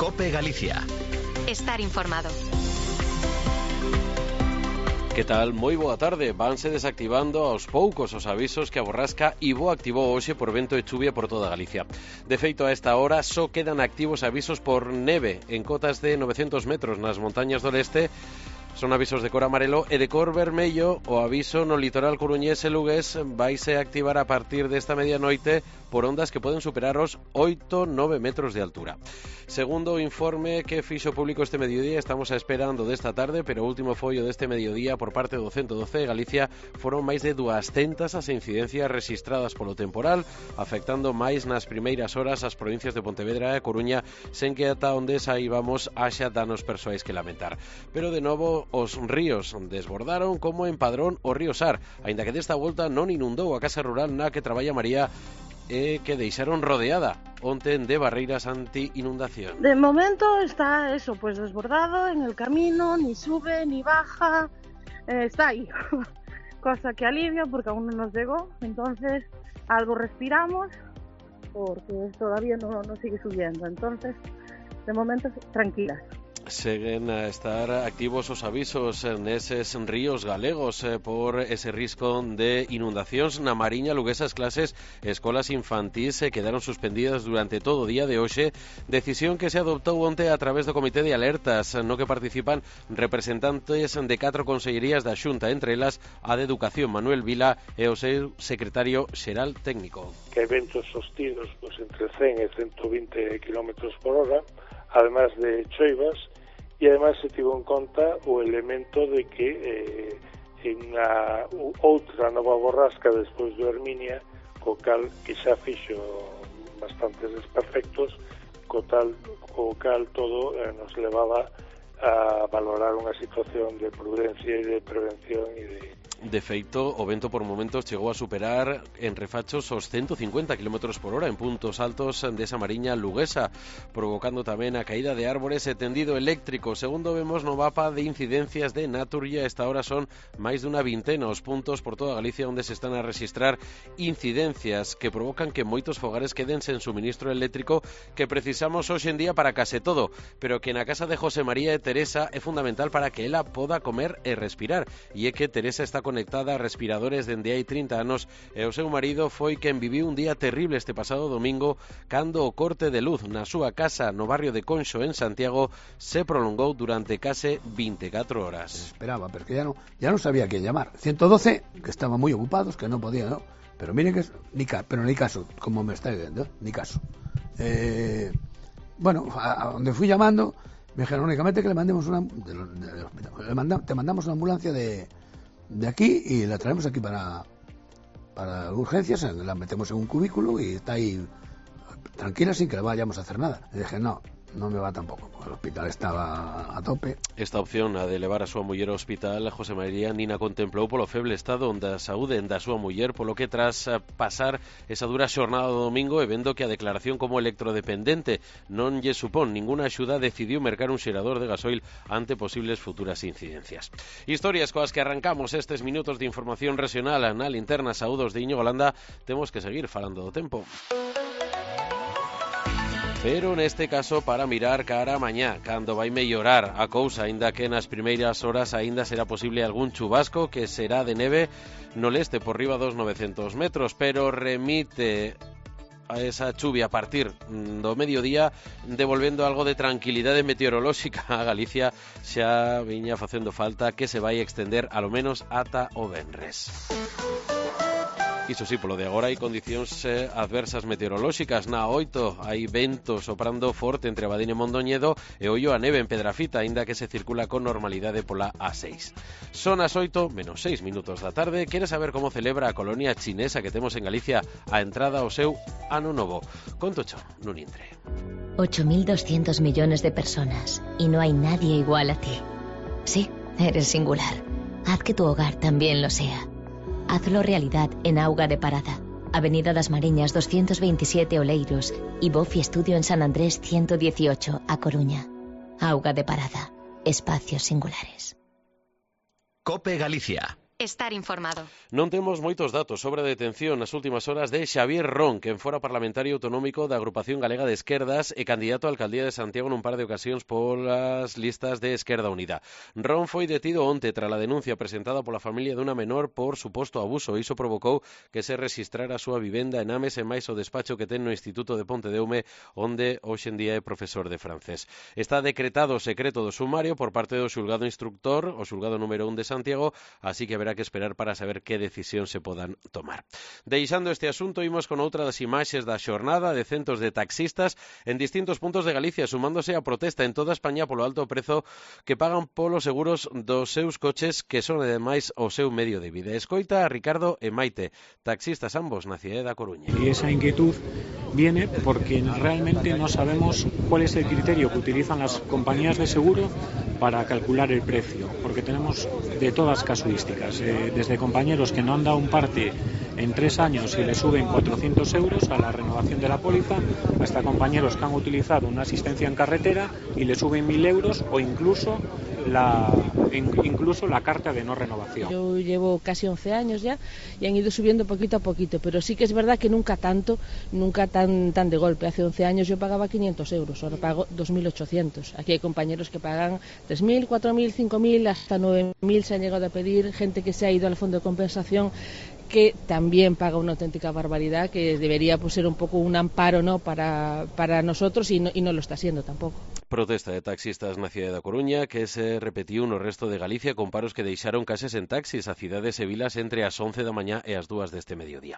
COPE Galicia. Estar informado. Que tal? Moi boa tarde. Vanse desactivando aos poucos os avisos que a borrasca Ivo activou hoxe por vento e chuvia por toda Galicia. De feito, a esta hora só quedan activos avisos por neve en cotas de 900 metros nas montañas do leste. Son avisos de cor amarelo e de cor vermello. O aviso no litoral coruñés e lugués vaise activar a partir desta medianoite por ondas que poden superar os 8-9 metros de altura. Segundo o informe que fixo público este mediodía, estamos esperando desta tarde, pero o último follo deste mediodía por parte do 112 de Galicia foron máis de 200 as incidencias rexistradas polo temporal, afectando máis nas primeiras horas as provincias de Pontevedra e Coruña, sen que ata onde saibamos haxa danos persoais que lamentar. Pero de novo os ríos desbordaron como en Padrón o río Sar, aínda que desta volta non inundou a casa rural na que traballa María que deixaron rodeada onte de barreiras anti-inundación. De momento está eso, pues desbordado en el camino, ni sube ni baja, está ahí, cosa que alivia porque aún no nos llegó, entonces algo respiramos porque todavía no sigue subiendo, entonces de momento tranquilas. Seguen a estar activos os avisos neses ríos galegos por ese risco de inundacións. Na Mariña, luguesas clases e escolas infantís quedaron suspendidas durante todo o día de hoxe, decisión que se adoptou onte a través do Comité de Alertas, no que participan representantes de 4 consellerías da Xunta, entre elas a de Educación, Manuel Vila, e o seu secretario xeral técnico. Que eventos sostidos pues, entre 100 e 120 km por hora, además de choivas, e además se tivo en conta o elemento de que en a outra nova borrasca despois do Herminia, co cal que xa fixo bastantes desperfectos, co cal todo nos levaba a valorar unha situación de prudencia e de prevención e de... De feito, o vento por momentos chegou a superar en refachos os 150 km por hora en puntos altos desa Mariña luguesa, provocando tamén a caída de árbores e tendido eléctrico. Segundo vemos no mapa de incidencias de Naturgia, esta hora son máis dunha vintena os puntos por toda Galicia onde se están a registrar incidencias que provocan que moitos fogares queden sen suministro eléctrico que precisamos hoxe en día para case todo, pero que na casa de José María e Teresa é fundamental para que ela poda comer e respirar, e é que Teresa está conectada a respiradores dende hai 30 anos e o seu marido foi quen viviu un día terrible este pasado domingo cando o corte de luz na súa casa no barrio de Conxo en Santiago se prolongou durante case 24 horas. Esperaba, porque ya no sabía a quién llamar. 112, que estaban muy ocupados, que no podían, ¿no? Pero mire que ni caso, como me está diciendo, ni caso. Bueno, a donde fui llamando me dijeron únicamente que le mandemos te mandamos una ambulancia de aquí y la traemos aquí para urgencias, la metemos en un cubículo y está ahí tranquila sin que le vayamos a hacer nada. Y dije, no me va tampoco, el hospital estaba a tope. Esta opción, a de levar a súa muller ao hospital, José María Nina contemplou polo feble estado da saúde da súa muller, polo que tras pasar esa dura xornada do domingo e vendo que a declaración como electrodependente non lle supón ninguna axuda, decidiu mercar un xerador de gasoil ante posibles futuras incidencias. Historias coas que arrancamos estes minutos de información regional na linterna saúdos de Íñigo Landa. Temos que seguir falando do tempo. Pero neste caso para mirar cara a mañá, cando vai mellorar a cousa, aínda que nas primeiras horas aínda será posible algún chubasco que será de neve no leste por riba dos 900 metros, pero remite a esa chuvia a partir do mediodía, devolvendo algo de tranquilidade meteorolóxica a Galicia. Xa viña facendo falta que se vai extender alo menos ata o venres. Iso sí, polo de agora hai condicións adversas meteorolóxicas. Na 8 hai vento soprando forte entre Abadín e Mondoñedo e ollo a neve en Pedrafita, aínda que se circula con normalidade pola A6. Son as 8 menos 6 minutos da tarde. Queres saber como celebra a colonia chinesa que temos en Galicia a entrada ao seu ano novo? Contocho nun intre. 8.200 millones de personas y no hay nadie igual a ti. Sí, eres singular. Haz que tu hogar también lo sea. Hazlo realidad en Auga de Parada, Avenida das Mariñas 227 Oleiros y Bofi Estudio en San Andrés 118 a Coruña. Auga de Parada, espacios singulares. COPE Galicia. estar informado. Non temos moitos datos sobre a detención nas últimas horas de Xavier Ron, quen fora parlamentario autonómico da Agrupación Galega de Esquerdas e candidato á alcaldía de Santiago nun par de ocasións polas listas de Esquerda Unida. Ron foi detido onte tras a denuncia presentada pola familia dunha menor por suposto abuso e iso provocou que se rexistrara a súa vivenda en Ames e máis o despacho que ten no Instituto de Pontedeume, onde hoxe en día é profesor de francés. Está decretado o secreto do sumario por parte do xulgado instructor, o xulgado número 1 de Santiago, así que haberá que esperar para saber que decisión se podan tomar. Deixando este asunto, imos con outra das imaxes da xornada de centos de taxistas en distintos puntos de Galicia, sumándose a protesta en toda España polo alto prezo que pagan polos seguros dos seus coches, que son ademais o seu medio de vida. Escoita a Ricardo e Maite, taxistas ambos na cidade da Coruña. Y esa inquietud viene porque realmente no sabemos cuál es el criterio que utilizan las compañías de seguro para calcular el precio, porque tenemos de todas casuísticas, desde compañeros que no han dado un parte en 3 años y le suben 400 euros a la renovación de la póliza, hasta compañeros que han utilizado una asistencia en carretera y le suben 1.000 euros o incluso la carta de no renovación. Yo llevo casi 11 años ya y han ido subiendo poquito a poquito, pero sí que es verdad que nunca tan de golpe. Hace 11 años yo pagaba 500 euros, ahora pago 2.800. Aquí hay compañeros que pagan 3.000, 4.000, 5.000, hasta 9.000 se han llegado a pedir, gente que se ha ido al fondo de compensación, que también paga una auténtica barbaridad, que debería pues, ser un poco un amparo, ¿no?, para nosotros y no lo está siendo tampoco. Protesta de taxistas na cidade da Coruña que se repetiu no resto de Galicia con paros que deixaron cases en taxis a cidades e vilas entre as 11 da mañá e as 2 deste mediodía.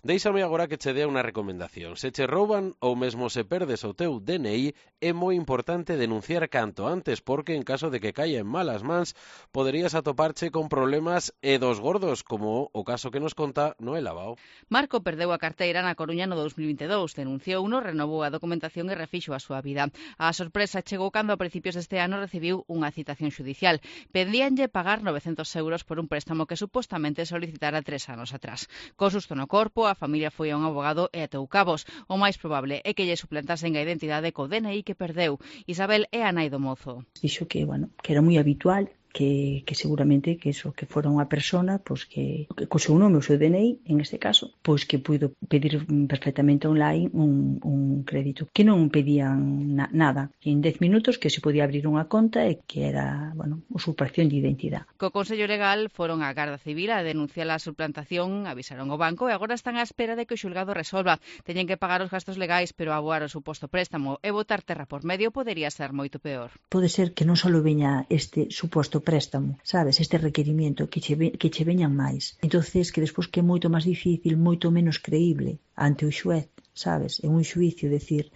Deixame agora que che dea unha recomendación. Se che rouban ou mesmo se perdes o teu DNI, é moi importante denunciar canto antes, porque en caso de que caia en malas mans, poderías atoparche con problemas e dos gordos, como o caso que nos conta Noel Abao. Marco perdeu a carteira na Coruña no 2022, denunciou uno, renovou a documentación e refixo a súa vida. A sorpresa chegou cando a principios deste ano recibiu unha citación xudicial. Pedíanlle pagar 900 euros por un préstamo que supostamente solicitara 3 anos atrás. Co susto no corpo, a familia foi a un abogado e atou cabos. O máis probable é que lle suplantasen a identidade co DNI que perdeu. Isabel é a nai do mozo. Dixo que era moi habitual, que seguramente que fora unha persona pois que co seu nome, o seu DNI, en este caso, pois que puido pedir perfectamente online un crédito, que non pedían nada, que en 10 minutos que se podía abrir unha conta e que era, usurpación de identidade. Co Consello Legal foron á Garda Civil a denunciar a suplantación, avisaron o banco e agora están á espera de que o xulgado resolva. Teñen que pagar os gastos legais, pero aboar o suposto préstamo e botar terra por medio podería ser moito peor. Pode ser que non só veña este suposto préstamo, sabes, este requerimento, que che veñan máis. Entonces, que despois que é moito máis difícil, moito menos creíble ante o xuez, sabes, en un xuicio, decir,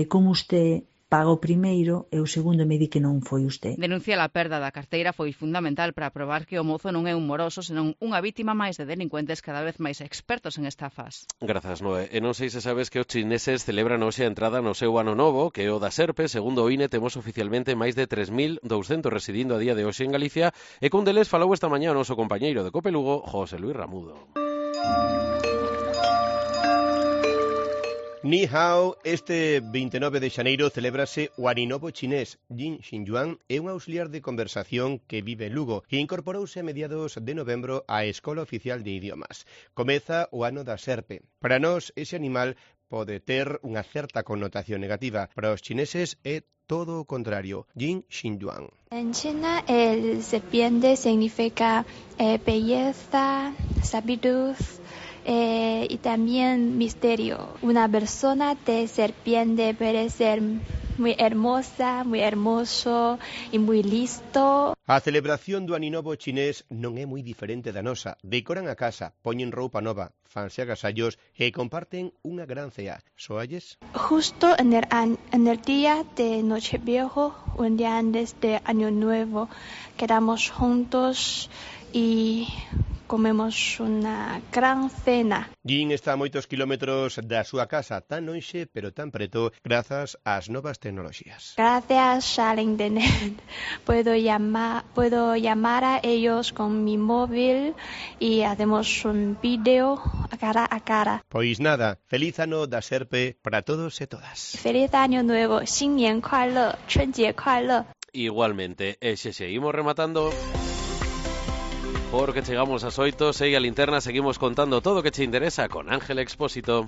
como usted paga o primeiro e o segundo me di que non foi usted. Denunciar a perda da carteira foi fundamental para probar que o mozo non é un moroso, senón unha vítima máis de delincuentes cada vez máis expertos en estafas. Grazas, Noé. E non sei se sabes que os chineses celebran hoxe a entrada no seu ano novo, que é o da Serpe. Segundo o INE, temos oficialmente máis de 3.200 residindo a día de hoxe en Galicia, e cun deles falou esta mañá o noso compañeiro de Cope Lugo, José Luis Ramudo. Ni hao, este 29 de xaneiro celébrase o aninovo chinés. Jin Xinyuan é un auxiliar de conversación que vive en Lugo e incorporouse a mediados de novembro á Escola Oficial de Idiomas. Comeza o ano da Serpe. Para nós, ese animal pode ter unha certa connotación negativa. Para os chineses é todo o contrario. Jin Xinyuan. En China, el serpiente significa belleza, sabiduría, y también misterio. Una persona de serpiente puede ser muy hermosa, muy hermoso y muy listo. A celebración do aninovo chinés non é moi diferente da nosa. Decoran a casa, poñen roupa nova, fanse agasallos e comparten unha gran cea. Soalles? Justo en el día de Nocheviejo, un día antes de Año Nuevo, quedamos juntos y comemos unha gran cena. Jin está a moitos kilómetros da súa casa, tan lonxe pero tan preto, grazas ás novas tecnoloxías. Gracias al internet puedo llamar a ellos con mi móvil y hacemos un vídeo cara a cara. Pois nada, feliz ano da Serpe para todos e todas. Feliz año nuevo, 新年快乐，春节快乐. Igualmente, seguimos rematando. porque chegamos ás 8, segue a linterna, seguimos contando todo o que che interesa con Ángel Expósito.